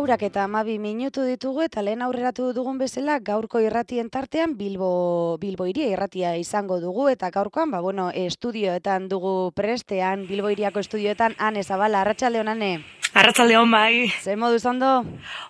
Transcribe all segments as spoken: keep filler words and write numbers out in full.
Laurak eta amabi minutu ditugu eta lehen aurreratu dugun bezala gaurko irratien tartean Bilbo, Bilbo Hiria irratia izango dugu eta gaurkoan, ba, bueno, estudioetan dugu prestean, Bilbo Hiriako estudioetan, Ane Zabala, arratsaldeon Ane. Arratsaldeon bai. Zer moduz ondo?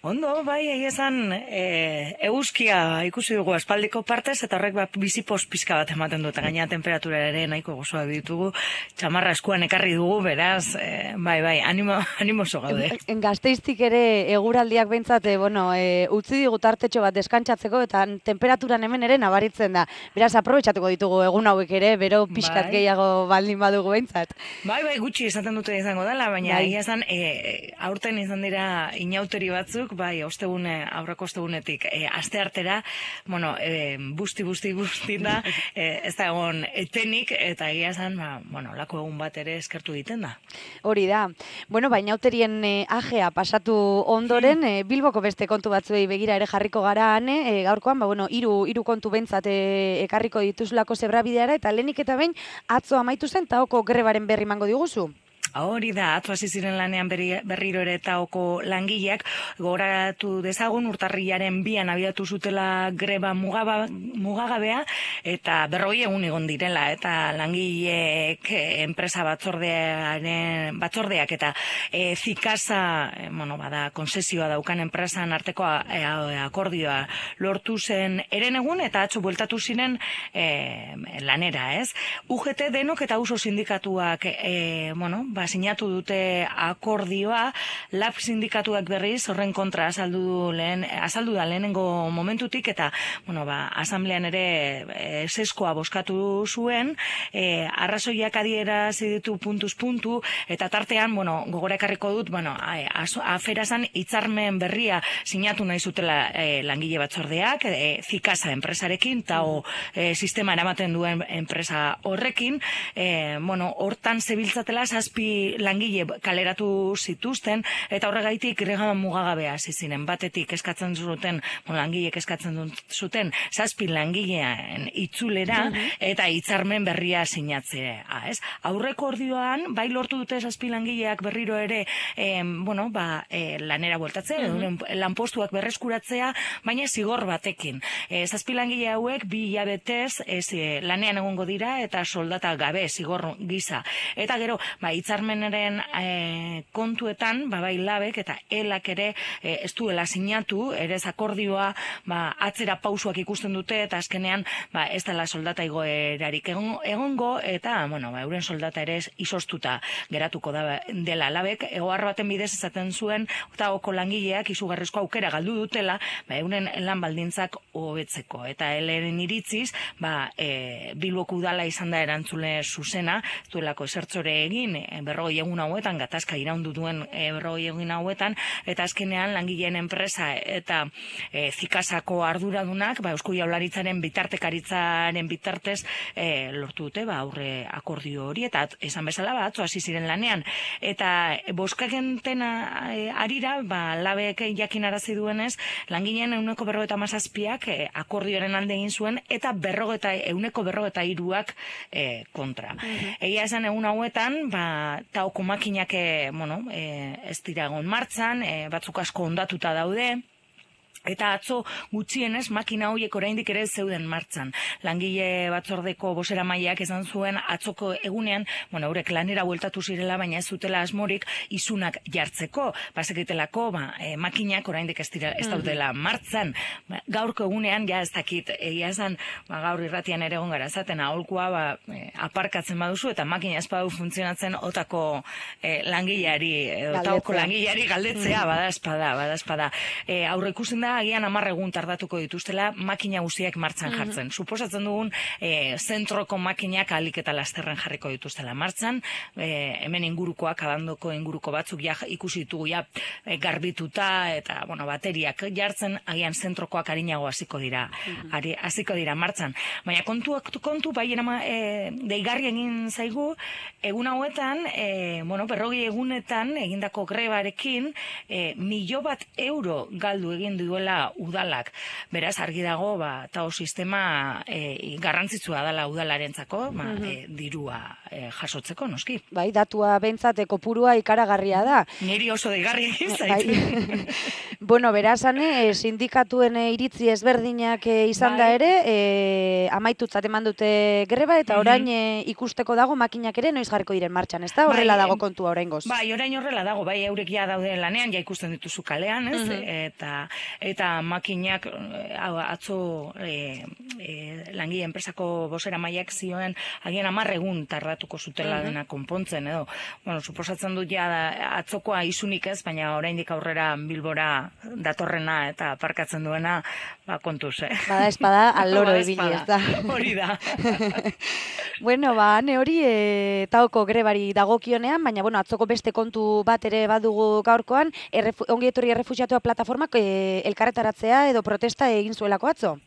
Ondo, bai, egia esan e, eguzkia ikusi dugu aspaldiko partez eta horrek bat bizipos pizka bat ematen du eta gaina temperatura ere nahiko gozoak ditugu, txamarra eskuan ekarri dugu, beraz, e, bai, bai, animo, animoso gaude. En Gasteiztik ere eguraldiak behintzat, bueno, e, utzi digu tartetxo bat deskantzatzeko eta temperaturan hemen ere nabaritzen da. Beraz, aprobetxatuko ditugu egun hauek ere, bero pixkat bai. Gehiago baldin badugu behintzat. Bai, bai, gutxi esaten dute izango dela, baina bai. egia esan, e, aurten izan dira inauteri batzuk, bai, ostegune, aurreko ostegunetik, e, aste artera, bueno, e, busti, busti, busti da, e, ez da egon etenik, eta egia esan, ba, bueno, lako egun bat ere eskertu egiten da. Hori da. Bueno, ba, inauterien e, ajea pasatu ondoren, e, Bilboko beste kontu batzuei begira ere jarriko gara, Ane, e, gaurkoan, ba, bueno, hiru hiru kontu behintzat e, ekarriko dituzulako zebrabideara, eta lehenik eta behin atzo amaitu zen taoko grebaren berri mango diguzu. Hori da, atzo hasi ziren lanean berri, berriro ere taoko langileak, gogoratu dezagun urtarrilaren bian abiatu zutela greba mugaba, mugagabea, eta berrogei egun egon direla, eta langileek enpresa batzordearen, batzordeak eta e, zikasa, e, bueno, bada, konsesioa daukan enpresan arteko e, akordioa lortu zen eren egun, eta atzo bueltatu ziren e, lanera, ez? U G T denok eta uso sindikatuak, e, bueno, ba, sinatu dute akordioa, lab sindikatuak berriz horren kontra azaldu lehen azaldu da lehenengo momentutik eta bueno, ba, asamblean ere e, seskoa bozkatu zuen, e, arrazoiak adierazi ditu puntuz puntu eta tartean, bueno, gogora ekarriko dut, bueno, aferazan hitzarmen berria sinatu nahi zutela e, langile batzordeak, e, zikasa enpresarekin eta e, sistema eramaten duen enpresa horrekin, e, bueno, hortan zebiltzatela zazpi langile kaleratu zituzten eta horregaitik greba mugagabea hasi ziren. Batetik eskatzen zuten, bueno, langileek eskatzen zuten zazpi langileen itzulera eta hitzarmen berria sinatzea, ez? Aurreko ordioan bai lortu dute zazpi langileak berriro ere eh, bueno, ba, eh, lanera bueltatzea, uh-huh. lanpostuak berreskuratzea, baina zigor batekin. Eh, zazpi langile hauek bi hilabetez ez, eh, lanean egongo dira eta soldata gabe zigor gisa. Eta gero, ba, hitzarmenaren e, kontuetan, ba, bai labek eta elak ere e, ez duela sinatu, ere ez akordioa ba, atzera pausuak ikusten dute eta azkenean ba, ez dela soldata igoerarik egon, egongo eta bueno, ba, euren soldata ere izostuta geratuko da dela labek, egoar baten bidez esaten zuen eta oko langileak izugarrizko aukera galdu dutela ba, euren lan baldintzak hobetzeko eta eleren iritziz ba, e, Bilboko udala izan da erantzule zuzena, ez duelako esertzore egin e, berrogei egun hauetan, gatazka iraundu duen e, berrogei egun hauetan, eta azkenean langileen enpresa eta e, zikasako arduradunak, ba, Eusko Jaurlaritzaren bitartekaritzaren bitartez e, lortu dute, ba, aurre akordio hori, eta esan bezala, ba, atzo hasi ziren lanean. Eta e, boskakenten e, arira, ba, labek jakinarazi duenez, langileen euneko berrogeta mazazpiak e, akordioaren alde egin zuen, eta berrogeta, euneko berrogeta iruak e, kontra. Uh-huh. Egia esan egun hauetan, ba, taoko makinak bueno, e, ez dira egon martxan, e, batzuk asko ondatuta daude, eta atzo gutxienez makina horiek oraindik ere zeuden martxan. Langile batzordeko bozeramaileak esan zuen atzoko egunean, bueno, eurek lanera bueltatu zirela, baina ez zutela asmorik isunak jartzeko. Bazekitelako, ba, e, makinak oraindik ez dira ez daudela martxan. Ba, gaurko egunean ja ez dakit, egia esan, ba, gaur irratian ere egon gara esaten aholkua ba, e, aparkatzen baduzu eta makina ez badu funtzionatzen otako e, langileari, otako langileari galdetzea, bada espada, bada espada. E, aurre ikusten da agian hamar egun tardatuko dituztela makina guztiak martxan jartzen. Mm-hmm. Suposatzen dugun e, zentroko makinak ahalik eta lasterren jarriko dituztela martxan, e, hemen ingurukoak, abandoko inguruko batzuk ja, ikusi ditugu ja e, garbituta eta bueno, bateriak jartzen, agian zentrokoak arinago hasiko dira, mm-hmm. hasiko dira martxan. Baina kontuak kontu bai erama, e, deigarri egin zaigu, egun hauetan, e, bueno, berrogei egunetan egindako grebarekin, e, milio bat euro galdu egin duela dituela udalak. Beraz, argi dago, ba, tao sistema e, garrantzitsua dela udalarentzako, ba, e, dirua e, jasotzeko, noski. Bai, datua behintzat kopurua ikaragarria da. Niri oso deigarri zait. Bai. Bueno, berazan, e, sindikatuen e, iritzi ezberdinak e, izan da bai. ere, e, amaitutzat eman dute greba, eta orain e, ikusteko dago makinak ere noiz jarriko diren martxan, ez da? Horrela bai, dago kontua oraingoz. Bai, orain horrela dago, bai, eurek ja daude lanean, ja ikusten dituzu kalean, ez? Eta, eta makinak hau, atzo e, e, langile enpresako bosera maiak zioen agian hamar egun tardatuko zutela dena konpontzen, edo, bueno, suposatzen dut ja atzokoa isunik ez, baina oraindik aurrera Bilbora datorrena eta parkatzen duena, ba, kontuz, eh? Bada espada aloro Bada ibili, espada, ez da? hori da. Bueno, ba, ane hori e, taoko grebari dagokionean, baina, bueno, atzoko beste kontu bat ere badugu gaurkoan, errefu, ongi etorri errefuxiatua plataformak e, elkarretaratzea edo protesta egin zuelako atzo.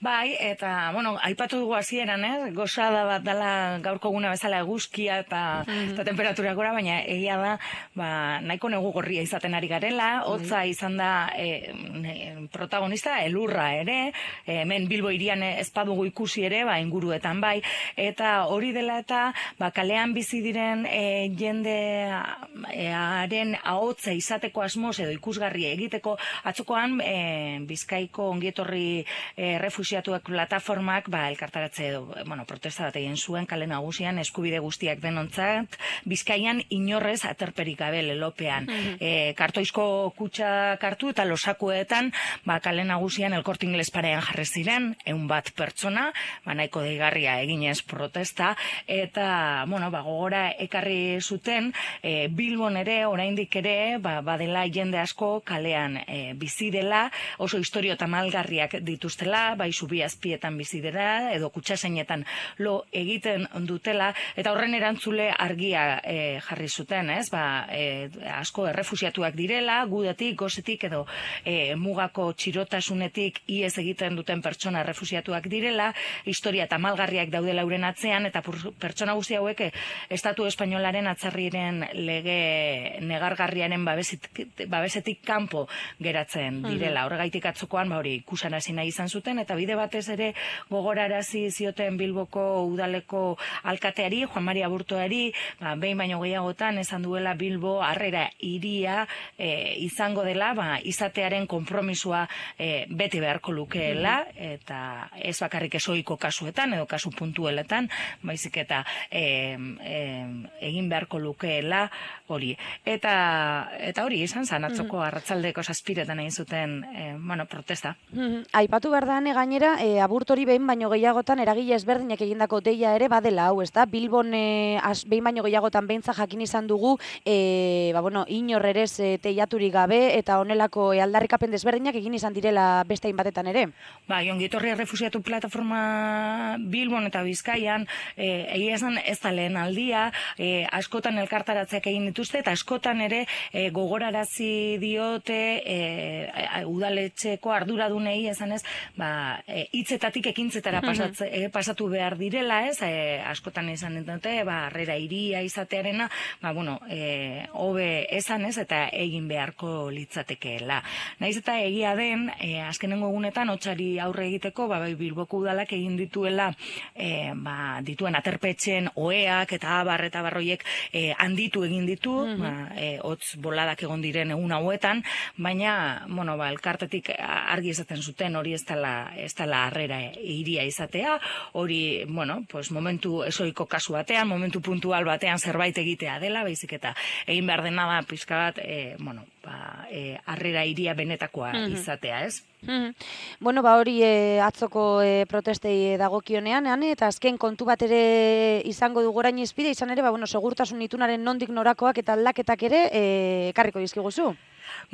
Bai, eta, bueno, aipatu dugu hasieran, eh? Gozada bat dela gaurko guna bezala eguzkia eta, mm-hmm. eta temperaturak gora, baina egia da, ba, nahiko negu gorria izaten ari garela, hotza izan da e, protagonista, elurra ere, e, hemen Bilbo hirian ez badugu ikusi ere, ba, inguruetan bai, eta hori dela eta, ba, kalean bizi diren e, jendearen ahotza izateko asmoz edo ikusgarri egiteko, atzokoan e, Bizkaiko ongietorri e, refusiatuak plataformak ba, elkartaratze edo, bueno, protesta bat egin zuen kale nagusian eskubide guztiak denontzat, Bizkaian inorrez aterperik gabe lelopean. Mm-hmm. e, kartoizko kutsa kartu eta losakuetan ba, kale nagusian El Corte Inglés parean jarri ziren, ehun bat pertsona, ba, nahiko deigarria eginez protesta, eta, bueno, ba, gogora ekarri zuten, e, Bilbon ere, oraindik ere, ba, badela jende asko kalean e, bizi dela, oso historio tamalgarriak dituztela, bai Zubiazpietan bizi dela, edo kutsaseinetan lo egiten dutela, eta horren erantzule argia e, jarri zuten, ez? Ba, e, asko errefusiatuak direla, gudetik, gozetik, edo e, mugako txirotasunetik iez egiten duten pertsona errefusiatuak direla, historia tamalgarriak daudela euren atzean, eta pertsona guzti hauek Estatu Espainolaren atzarriren lege negargarriaren babesetik, babesetik kanpo geratzen direla. Horregaitik atzokoan, ba hori, ikusanarazi nahi izan zuten, eta bide batez ere gogorarazi zioten Bilboko udaleko alkateari, Juan Mari Aburtoari, ba, behin baino gehiagotan esan duela Bilbo harrera hiria e, izango dela, ba, izatearen konpromisua e, bete beharko lukeela, eta ez bakarrik esoiko kasuetan, edo kasu puntueletan, baizik eta e, e, egin beharko lukeela hori. Eta, eta hori izan zan, atzoko arratsaldeko zazpiretan egin zuten e, bueno, protesta. Aipatu behar da, gainera, e, Aburtori behin baino gehiagotan eragile ezberdinak egindako deia ere badela hau, ez da? Bilbon e, az, behin baino gehiagotan beintza jakin izan dugu, e, ba, bueno, inorrerez e, teiaturik gabe, eta honelako e, aldarrikapen desberdinak egin izan direla beste hainbatetan ere. Ba, ongietorri errefusiatu plataforma Bilbon eta Bizkaian, e, egia esan ez da lehen aldia, e, askotan elkartaratzeak egin dituzte, eta askotan ere e, gogorarazi diote e, udaletxeko arduradunei esan ez, ba, hitzetatik e, ekintzetara pasatze, e, pasatu behar direla, ez, e, askotan izan dute, ba, harrera hiria izatearena, ba, bueno, e, hobe esan ez, eta egin beharko litzatekeela. Naiz eta egia den, e, azkenengo egunetan, hotzari aurre egiteko, ba, bai, Bilboko udalak egin dituela, e, ba, dituen aterpetxen oheak eta abar eta barroiek e, handitu egin ditu, mm-hmm. ba, e, hotz boladak egon diren egun hauetan, baina, bueno, ba, elkartetik argi esaten zuten hori ez dela ez dela harrera hiria izatea, hori, bueno, pues momentu esoiko kasu batean, momentu puntual batean zerbait egitea dela, baizik eta egin behar dena da pizka bat, e, bueno, ba, e, harrera hiria benetakoa mm-hmm. izatea, ez? Mm-hmm. Bueno, ba hori e, atzoko e, protestei dagokionean, ane, eta azken kontu bat ere izango du gorain izpide, izan ere, ba, bueno, segurtasun itunaren nondik norakoak eta aldaketak ere e, karriko dizkiguzu.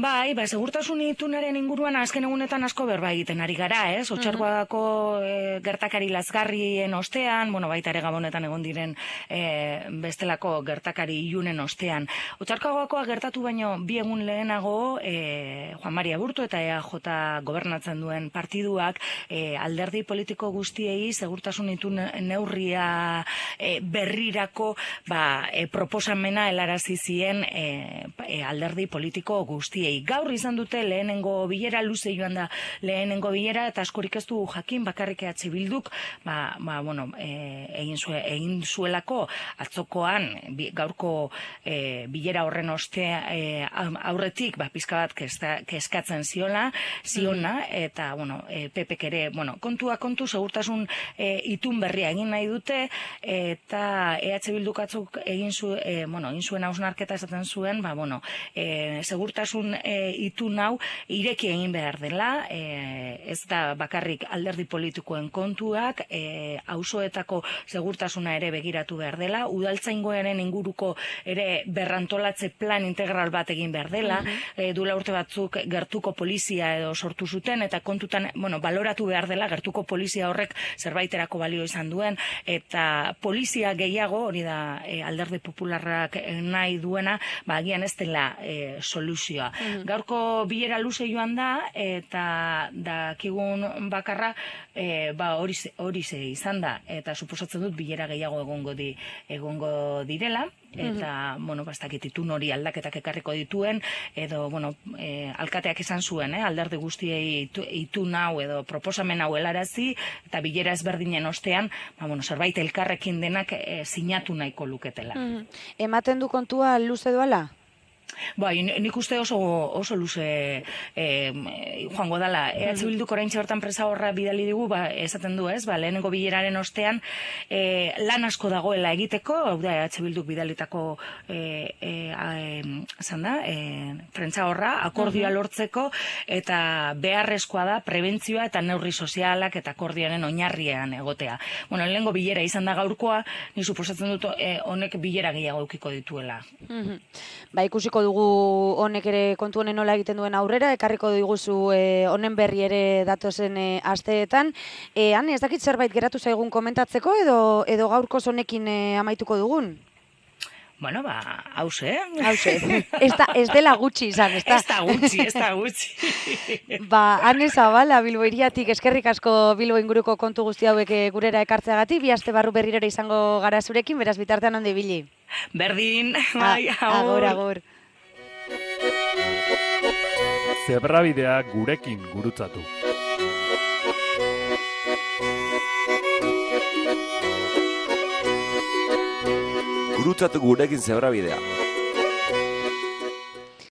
Bai, ba, segurtasun itunaren inguruan azken egunetan asko berba egiten ari gara, ez? Otxarkoako e, gertakari lazgarrien ostean, bueno, baita ere Gabonetan egon diren e, bestelako gertakari ilunen ostean. Otxarkoakoa gertatu baino bi egun lehenago, e, Juan Mari Aburto eta E A J gobernatzen duen partiduak e, alderdi politiko guztiei segurtasun itun neurria e, berrirako ba, e, proposamena helarazi zien e, e, alderdi politiko guztiei. guztiei. Gaur izan dute lehenengo bilera, luze joan da lehenengo bilera, eta askorik ez du jakin bakarrik E H Bilduk, ba, ba, bueno, e, egin, zue, egin zuelako atzokoan bi, gaurko e, bilera horren ostea e, aurretik, ba, pizka bat kesta, keskatzen ziola, ziona, eta, bueno, e, Pepek ere, bueno, kontua kontu, segurtasun e, itun berria egin nahi dute, eta E H Bilduk atzok egin, zu, e, bueno, egin zuen hausnarketa esaten zuen, ba, bueno, e, segurtasun e, itun hau ireki egin behar dela, e, ez da bakarrik alderdi politikoen kontuak, e, auzoetako segurtasuna ere begiratu behar dela, udaltzaingoaren inguruko ere berrantolatze plan integral bat egin behar dela, uh -huh. e, duela urte batzuk gertuko polizia edo sortu zuten, eta kontutan, bueno, baloratu behar dela, gertuko polizia horrek zerbaiterako balio izan duen, eta polizia gehiago, hori da e, alderdi popularrak nahi duena, ba, agian ez dela e, soluzioa. Uh -huh. Gaurko bilera luze joan da, eta dakigun bakarra, e, ba, hori hori ze izan da, eta suposatzen dut bilera gehiago egongo di, egongo direla, eta, bueno, bastakit itun hori aldaketak ekarriko dituen, edo, bueno, e, alkateak izan zuen, eh, alderdi guztiei itun hau edo proposamen hau helarazi, eta bilera ezberdinen ostean, ba, bueno, zerbait elkarrekin denak e, sinatu nahiko luketela. Mm-hmm. Ematen du kontua luze doala? Bai, nik uste oso, oso luze eh, joango dala. E H Bilduk oraintxe bertan presa horra bidali digu, ba, esaten du ez, ba, lehenengo bileraren ostean eh, lan asko dagoela egiteko, hau da E H Bilduk bidalitako eh, eh, da, eh, prentsa horra, akordioa lortzeko, eta beharrezkoa da prebentzioa eta neurri sozialak eta akordioaren oinarrian egotea. Bueno, lehenengo bilera izan da gaurkoa, ni suposatzen dut eh, honek bilera gehiago eukiko dituela. Mm-hmm. Ba, ikusiko dugu honek ere kontu honen nola egiten duen aurrera, ekarriko diguzu e, honen berri ere datozen e, asteetan. E, han, ez dakit zerbait geratu zaigun komentatzeko, edo, edo gaurko honekin e, amaituko dugun? Bueno, ba, hause. Hause. Ez, da, ez dela gutxi izan, ez da? Ez da gutxi, ez da gutxi. Ba, Ane Zabala, Bilbo hiriatik, eskerrik asko Bilbo inguruko kontu guzti hauek gurera ekartzeagatik, bi aste barru berrirora izango gara zurekin, beraz bitartean ondo ibili. Berdin, bai, agur. Agur, agur. Zebrabidea gurekin gurutzatu. Gurutzatu gurekin zebrabidea.